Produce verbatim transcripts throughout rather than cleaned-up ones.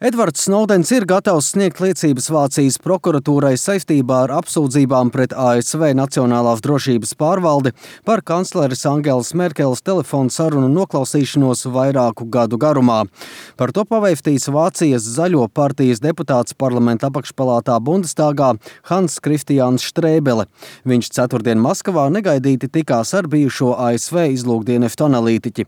Edvards Snowdens ir gatavs sniegt liecības Vācijas prokuratūrai saistībā ar apsūdzībām pret A S V Nacionālās drošības pārvaldi par kancleres Angelas Merkeles telefonu sarunu noklausīšanos vairāku gadu garumā. Par to pavēstīs Vācijas Zaļo partijas deputāts parlamenta apakšpalātā Bundestāgā Hans Kristiāns Štrēbele. Viņš ceturtdien Maskavā negaidīti tikās ar bijušo A S V izlūkdienestu analītiķi.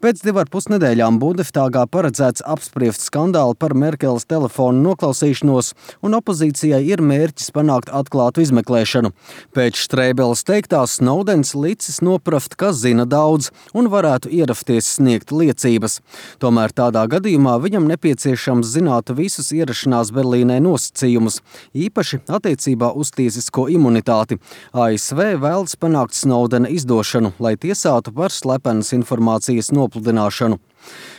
Pēc divu ar pus nedēļām Bundestāgā paredzēts apspriest skandālu par Merkeles telefonu noklausīšanos, un opozīcijai ir mērķis panākt atklātu izmeklēšanu. Pēc Štrēbeles teiktā Snowdens licis nopraft, ka zina daudz un varētu ierasties sniegt liecības. Tomēr tādā gadījumā viņam nepieciešams zināt visus ierašanās Berlīnē nosacījumus, īpaši attiecībā uz tiesisko imunitāti. A S V vēlas panākt Snowdena izdošanu, lai tiesātu par slepenas informācijas nopludināšanu.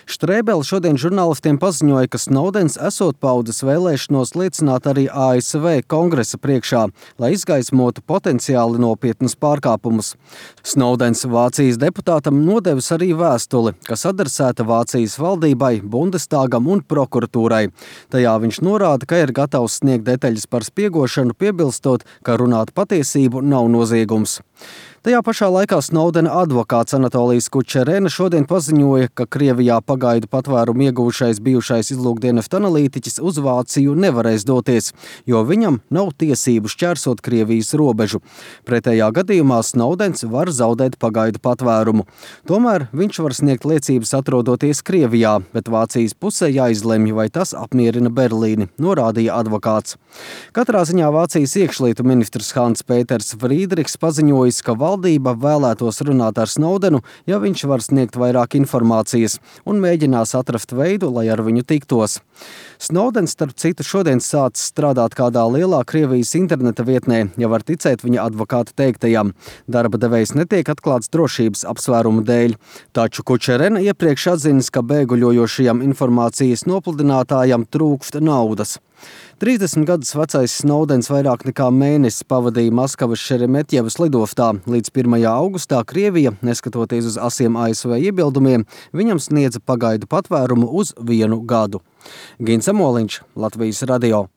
Štrēbele šodien žurnālistiem paziņoja, ka Snowdens esot paudis vēlēšanos liecināt arī A S V kongresa priekšā, lai izgaismotu potenciāli nopietnus pārkāpumus. Snowdens Vācijas deputātam nodevis arī vēstuli, kas adresēta Vācijas valdībai, Bundestāgam un prokuratūrai. Tajā viņš norāda, ka ir gatavs sniegt detaļas par spiegošanu, piebilstot, ka runāt patiesību nav noziegums. Tajā pašā laikā Snowdena advokāts Anatolijs Kučerena šodien paziņoja, ka Krievijā pagaidu patvērumu iegūšais bijušais izlūkdienestu analītiķis uz Vāciju nevarēs doties, jo viņam nav tiesību šķērsot Krievijas robežu. Pretējā gadījumā Snowdens var zaudēt pagaidu patvērumu. Tomēr viņš var sniegt liecības atrodoties Krievijā, bet Vācijas pusē jāizlemj, vai tas apmierina Berlīni, norādīja advokāts. Katrā ziņā Vācijas iekšlietu ministrs Hans Pēters Frīdrichs paziņojis, ka valdība vēlētos runāt ar Snowdenu, ja viņš var sniegt vairāk informācijas, un mēģinās atrast veidu, lai ar viņu tiktos. Snowdens, starp citu, šodien sācis strādāt kādā lielā Krievijas interneta vietnē, ja var ticēt viņa advokāta teiktajam. Darba devējs netiek atklāts drošības apsvērumu dēļ, taču Kučerena iepriekš atzinis, ka bēguļojošajam informācijas nopludinātājam trūkst naudas. trīsdesmit gadus vecais Snowdens vairāk nekā mēnesi pavadīja Maskavas Šeremetjevas lidostā. Līdz pirmajā augustā Krievija, neskatoties uz asiem A S V iebildumiem, viņam sniedza pagaidu patvērumu uz vienu gadu. Gins Amoliņš, Latvijas radio.